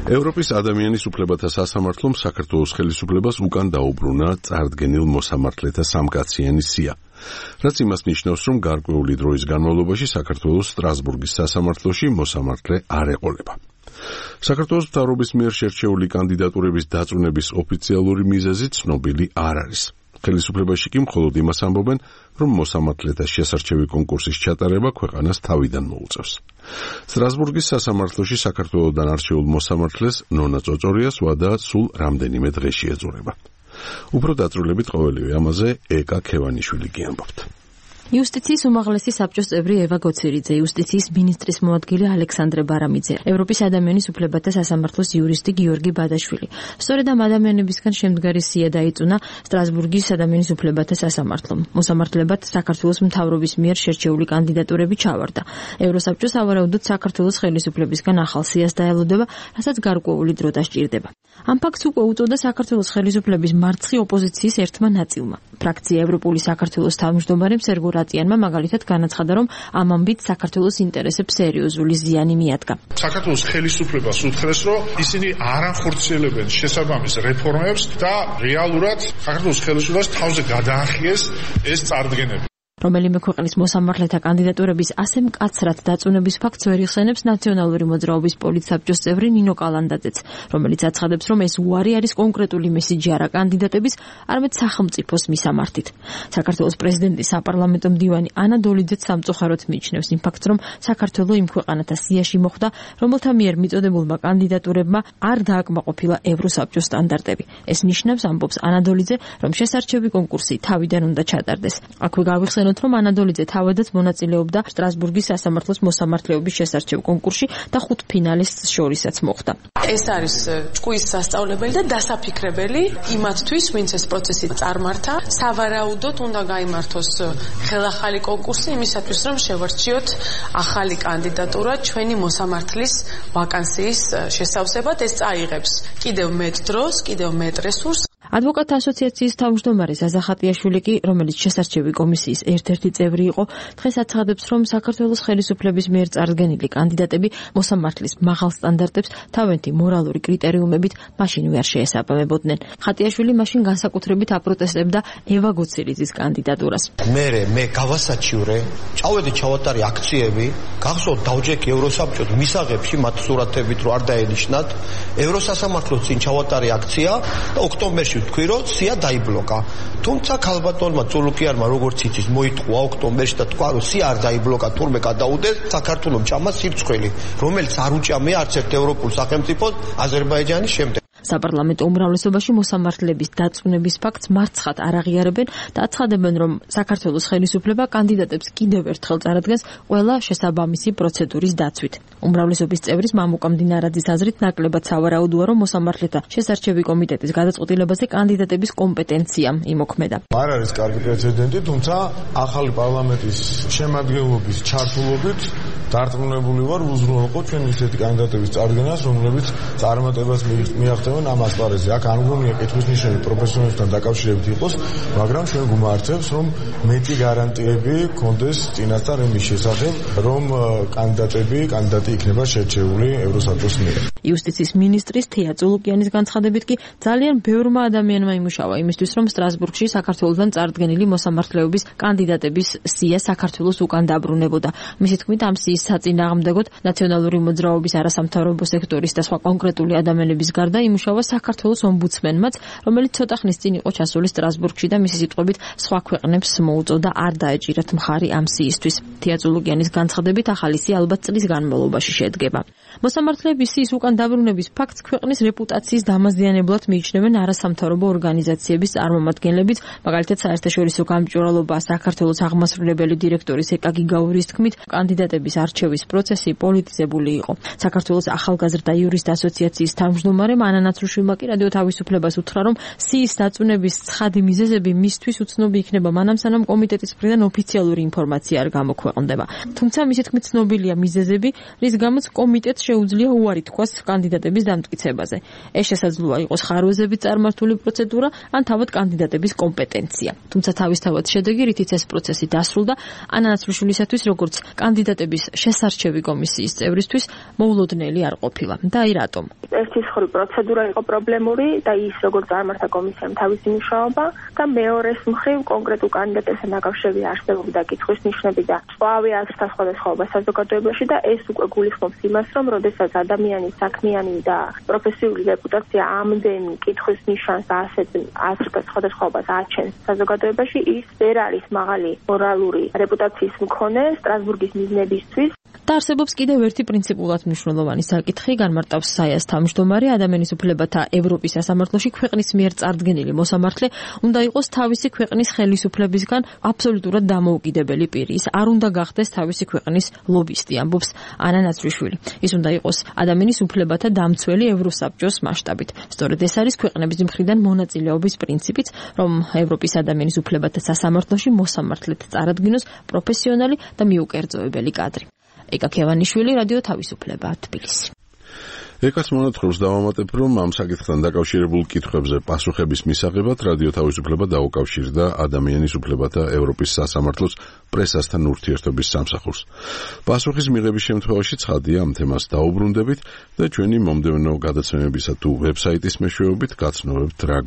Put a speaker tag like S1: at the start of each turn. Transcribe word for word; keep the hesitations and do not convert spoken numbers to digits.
S1: ევროპის ადამიანის უფლებათა სასამართლომ საქართველოს ხელისუფლებას უკან დაუბრუნა წარდგენილ მოსამართლეთა სამკაციანი სია. რაც იმას ნიშნავს, რომ გარკვეული დროის განმავლობაში საქართველოს სტრასბურგის სასამართლოში მოსამართლე არ ეყოლება. საქართველოს მთავრობის მიერ შერჩეული კანდიდატურების დაწუნების ოფიციალური მიზეზი ცნობილი არ არის. ხელისუფლებაში კი მხოლოდ იმას ამბობენ, რომ მოსამართლეთა შესარჩევი კონკურსის ჩატარება ქვეყანას თავიდან მოუწევს. სტრასბურგის სასამართლოში საქართველოდან არჩეულ მოსამართლეს ნონა წოწორიას ვადა სულ რამდენიმე დღეში ეძურება. უფრო დაწვრილებით ყოველივე ამაზე ეკა ქევანიშვილი კი ამბობთ.
S2: იუსტიციის უმაღლესი საბჭოს წევრი ევა გოცირიძე, იუსტიციის მინისტრის მოადგილე ალექსანდრე ბარამიძე, ევროპის ადამიანის უფლებათა სასამართლოს იურისტი გიორგი ბადაშვილი. სწორედ ამ ადამიანებისგან შემდგარი სია დაიწუნა სტრასბურგის ადამიანის უფლებათა სასამართლომ. მოსამართლებად საქართველოს მთავრობის მიერ შერჩეული კანდიდატურები ჩავარდა. ევროსაბჭო სავარაუდოდ საქართველოს ხელისუფლებისგან ახალ სიას დაელოდება, რასაც გარკვეული დრო დასჭირდება. ამ ფაქტს უკვე უწოდა საქართველოს ხელისუფლების მარცხი ოპოზიციის ერთმა ნაწილმა. ფრაქცია ევროპული საქართველოს თავმჯდომარემ სერგო რატიანმა მაგალითად განაცხადა, რომ ამ ამბით საქართველოს ინტერესებს სერიოზული ზიანი მიადგა.
S3: საქართველოს ხელისუფლებას უთხრეს, რომ ისინი არ ახორციელებენ შესაბამის რეფორმებს და რეალურად საქართველოს ხელისუფლებას თავზე გადაახიეს ეს წარდგენები.
S2: რომელიმე ქვეყნის მოსამართლეთა კანდიდატურების ასე მკაცრად დაწუნების ფაქტს ვერ იხსენებს ნაციონალური მოძრაობის პოლიტსაბჭოს წევრი ნინო კალანდაძეც, რომელიც აცხადებს, რომ ეს უარი არის კონკრეტული მესიჯი არა კანდიდატების, არამედ სახელმწიფოს მისამართით. საქართველოს პრეზიდენტის საპარლამენტო მდივანი ანა დოლიძეც სამწუხაროდ მიიჩნევს იმ ფაქტს, რომ საქართველო იმ ქვეყანათა სიაში მოხვდა, რომელთა მიერ მიწოდებულმა კანდიდატურებმა არ დააკმაყოფილა ევროსაბჭოს სტანდარტები. ეს ნიშნავს, ამბობს ანა დოლიძე, რომ შესარჩევი კონკურსი თავიდან უნდა ჩატარდეს. აქვე გავიხსენოთ, რომ ანა დოლიძე თავადაც მონაწილეობდა სტრასბურგის სასამართლოს მოსამართლეობის შესარჩევ კონკურსში და ხუთ ფინალისტს შორისაც მოხვდა.
S4: ეს არის ჭკუის სასწავლებელი და დასაფიქრებელი იმათთვის, ვინც ეს პროცესი წარმართა. სავარაუდოდ უნდა გაიმართოს ხელახალი კონკურსი იმისათვის, რომ შევარჩიოთ ახალი კანდიდატურა ჩვენი მოსამართლის ვაკანსიის შესავსებად. ეს წაიღებს კიდევ მეტ დროს, კიდევ მეტ რესურსს.
S2: ადვოკატთა ასოციაციის თავმჯდომარე ზაზა ხატიაშვილი კი, რომელიც შესარჩევი კომისიის ერთ-ერთი წევრი იყო, დღეს აცხადებს, რომ საქართველოს ხელისუფლების მიერ წარდგენილი კანდიდატები მოსამართლის მაღალ სტანდარტებს თავენთი მორალური კრიტერიუმებით მაშინვე არ შეესაბამებოდნენ. ხატიაშვილი მაშინ განსაკუთრებით აპროტესტებდა ევა გოცირიძის კანდიდატურას.
S5: მე მე გავასაჩივრე, წავედი ჩავატარე აქციები, გახსოვთ დავჯექი ევროსაბჭოს მისაღებში მათ სურათებით რო არ დაენიშნათ, ევროსასამართლოს წინ ჩავატარე აქცია და ოქტომბერში თქვი რომ სია დაიბლოკა. თუმცა ქალბატონმა წულუკიანმა როგორც იცის მოიტყვა ოქტომბერში და თქვა რომ სია არ დაიბლოკა, თურმე გადაუდეს საქართველოს ჩამა სირცხვილი, რომელიც არ უჭამია არც ერთ ევროპულ სახელმწიფოს აზერბაიჯანის შემდეგ.
S2: საპარლამენტო უმრავლესობაში მოსამართლების დაწუნების ფაქტს მარცხად არ აღიარებენ და აცხადებენ, რომ საქართველოს ხელისუფლება კანდიდატებს კიდევ ერთხელ წარადგენს ყველა შესაბამისი პროცედურის დაცვით. უმრავლესობის წევრის მამუკა მდინარაძის აზრით ნაკლებად სავარაუდოა, რომ მოსამართლეთა შესარჩევი კომიტეტის გადაწყვეტილებაზე კანდიდატების კომპეტენცია იმოქმედა.
S6: არ არის კარგი პრეცედენტი, თუმცა ახალი პარლამენტის შემადგენლობის ჩართულობით დარწმუნებული ვარ, უზრუნველყო ჩვენ ისეთი კანდიდატების წარდგენას, რომლებიც წარმატებას მიაღწევენ ამ ასპარეზზე. აქ არ მგონია კითხვის ნიშანი პროფესიონალებთან დაკავშირებით იყოს, მაგრამ ჩვენ გუმართებს, რომ მეტი გარანტიები გქონდეს წინასწარ იმის შესახებ, რომ კანდიდატები, კანდიდატი იქნება შერჩეული ევროსაბჭოს მიერ.
S2: იუსტიციის მინისტრის თეა წულუკიანის განცხადებით კი ძალიან ბევრმა ადამიანმა იმუშავა იმისთვის, რომ სტრასბურგში საქართველოსთან წარდგენილი მოსამართლეობის კანდიდატების სია საქართველოს უკან დაბრუნებოდა. მისი თქმით, ამ სიის საწინააღმდეგოდ ნაციონალური მოძრაობის არასამთავრობო სექტორის და სხვა კონკრეტული ადამიანების გარდა იმუშავა საქართველოს ომბუდსმენმაც, რომელიც ცოტა ხნის წინ იყო ჩასული სტრასბურგში და მისი სიტყვებით სხვა ქვეყნებს მოუწოდა არ დაეჭირათ მხარი ამ სიისთვის. თეა წულუკიანის განცხადებით, ახალი სია ალბათ წლის განმავლობაში შედგება. მოსამართლეების სიის უკან დაბრუნების ფაქტს ქვეყნის რეპუტაციის დამაზიანებლად მიიჩნევენ არასამთავრობო ორგანიზაციების წარმომადგენლებიც, მაგალითად საერთაშორისო გამჭვირვალობა საქართველოს აღმასრულებელი დირექტორის ეკა გიგაურის თქმით, კანდიდატების არჩევის პროცესი პოლიტიზებული იყო. საქართველოს ახალგაზრდა იურისტ ასოციაციის თავმჯდომარე ანა ნაცრუშვილმა კი რადიო თავისუფლებას უთხრა, რომ სიის დაწუნების ცხადი მიზეზები მისთვის უცნობი იქნება მანამ, სანამ კომიტეტის მხრიდან ოფიციალური ინფორმაცია არ გამოქვეყნდება. თუმცა მისი თქმით ცნობილია მიზეზები, რის გამოც კომიტეტს შეუძლია უარი თქვას კანდიდატების დამტკიცებაზე. ეს შესაძლოა იყოს ხარვეზებით წარმართული პროცედურა ან თავად კანდიდატების კომპეტენცია. თუმცა თავისთავად შედეგი, რითიც ეს პროცესი დასრულდა, ანა ნაცრუშვილისათვის როგორც კანდიდატების შესარჩევი კომისიის წევრისთვის მოულოდნელი არ ყოფილა. და აი რატომ?
S7: ერთი მხრივ პროცედურა იყო პრობლემური და ის როგორ წარმართა კომისიამ თავისი მუშაობა და მეორეს მხრივ კონკრეტულ კანდიდატებთან დაკავშირებით არსებობდა კითხვის ნიშნები და წვავი აზრთა სხვადასხვაობა საზოგადოებაში და ეს უკვე გულისხმობს იმას, რომ როდესაც ადამიანის საქმიანი და პროფესიული რეპუტაცია ამდენ კითხვის ნიშანს და ასეთ აზრთა სხვადასხვაობას აჩენს საზოგადოებაში, ის ვერ არის მაღალი მორალური რეპუტაციის მქონე სტრასბურგის მიზნებისთვის.
S2: და არსებობს კიდევ ერთი პრინციპულად მნიშვნელოვანი საკითხი, განმარტავს საიას თავმჯდომარე, ადამიანის უფლებათა ევროპის სასამართლოში ქვეყნის მიერ წარდგენილი მოსამართლე უნდა იყოს თავისი ქვეყნის ხელისუფლებისგან აბსოლუტურად დამოუკიდებელი პირი. ის არ უნდა გახდეს თავისი ქვეყნის ლობისტი, ამბობს ანა ნაცრიშვილი. ის უნდა იყოს ადამიანის უფლებათა დამცველი ევროსაბჭოს მასშტაბით. სწორედ ეს არის ქვეყნების მხრიდან მონაწილეობის პრინციპიც, რომ ევროპის ადამიანის უფლებათა სასამართლოში მოსამართლედ წარადგინოს პროფესიონალი და მიუკერძოებელი კადრი. ეკა ქევანიშვილი, რადიო თავისუფლება, თბილისი.
S1: ეკას მონათხრობს დავამატებ, რომ ამ საკითხთან დაკავშირებულ კითხვებზე პასუხების მისაღებად რადიო თავისუფლება დაუკავშირდა ადამიანის უფლებათა ევროპის სასამართლოს პრესასთან ურთიერთობის სამსახურს. პასუხის მიღების შემთხვევაში ცხადია, ამ თემას დაუბრუნდებით და ჩვენი მომდევნო გადაცემებისა თუ ვებსაიტის მეშვეობით გაცნობებთ რა